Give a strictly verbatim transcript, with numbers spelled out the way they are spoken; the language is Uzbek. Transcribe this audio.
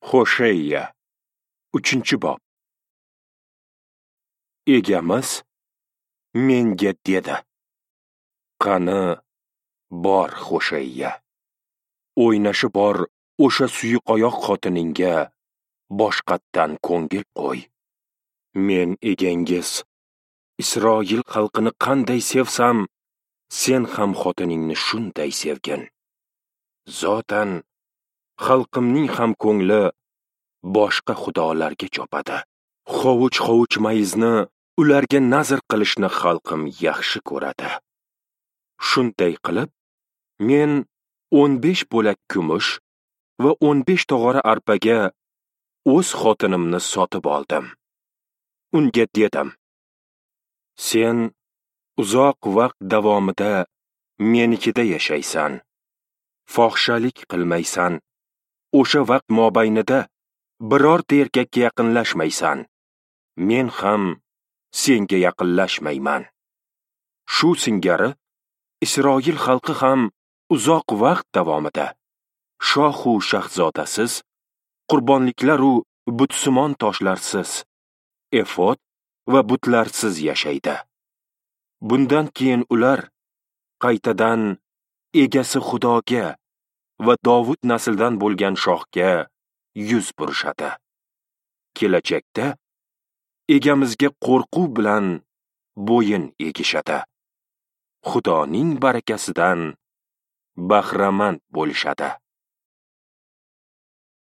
Hosheya, uchinchi bob. Egamiz menga dedi: Qani bor Hosheya, o'ynashi bor o'sha suyuqoyoq xotiningga boshqatdan ko'ngil qo'y. Men egangiz Isroil xalqini qanday sevsam, sen ham xotiningni shunday sevgin. Zotan xalqimning ham ko'ngli boshqa xudolarga chopadi. Hovuch-hovuch mayizni ularga nazr qilishni xalqim yaxshi ko'radi. Shunday qilib, men o'n besh bo'lak kumush va o'n besh tog'ora arpaga o'z xotinimni sotib oldim. Unga dedim: Sen uzoq vaqt davomida menikida yashaysan, fohishalik qilmaysan, o'sha vaqt mobaynida birorta erkakka yaqinlashmaysan, men ham senga yaqinlashmayman. Shu singari Isroil xalqi ham uzoq vaqt davomida shohu shahzodasiz, qurbonliklar-u butsimon toshlarsiz, efod va butlarsiz yashaydi. Bundan keyin ular qaytadan egasi Xudoga va Dovud naslidan bo'lgan shohga yuz burishadi. Kelajakda egamizga qo'rquv bilan bo'yin egishadi. Xudoning barakasidan bahramand bo'lishadi.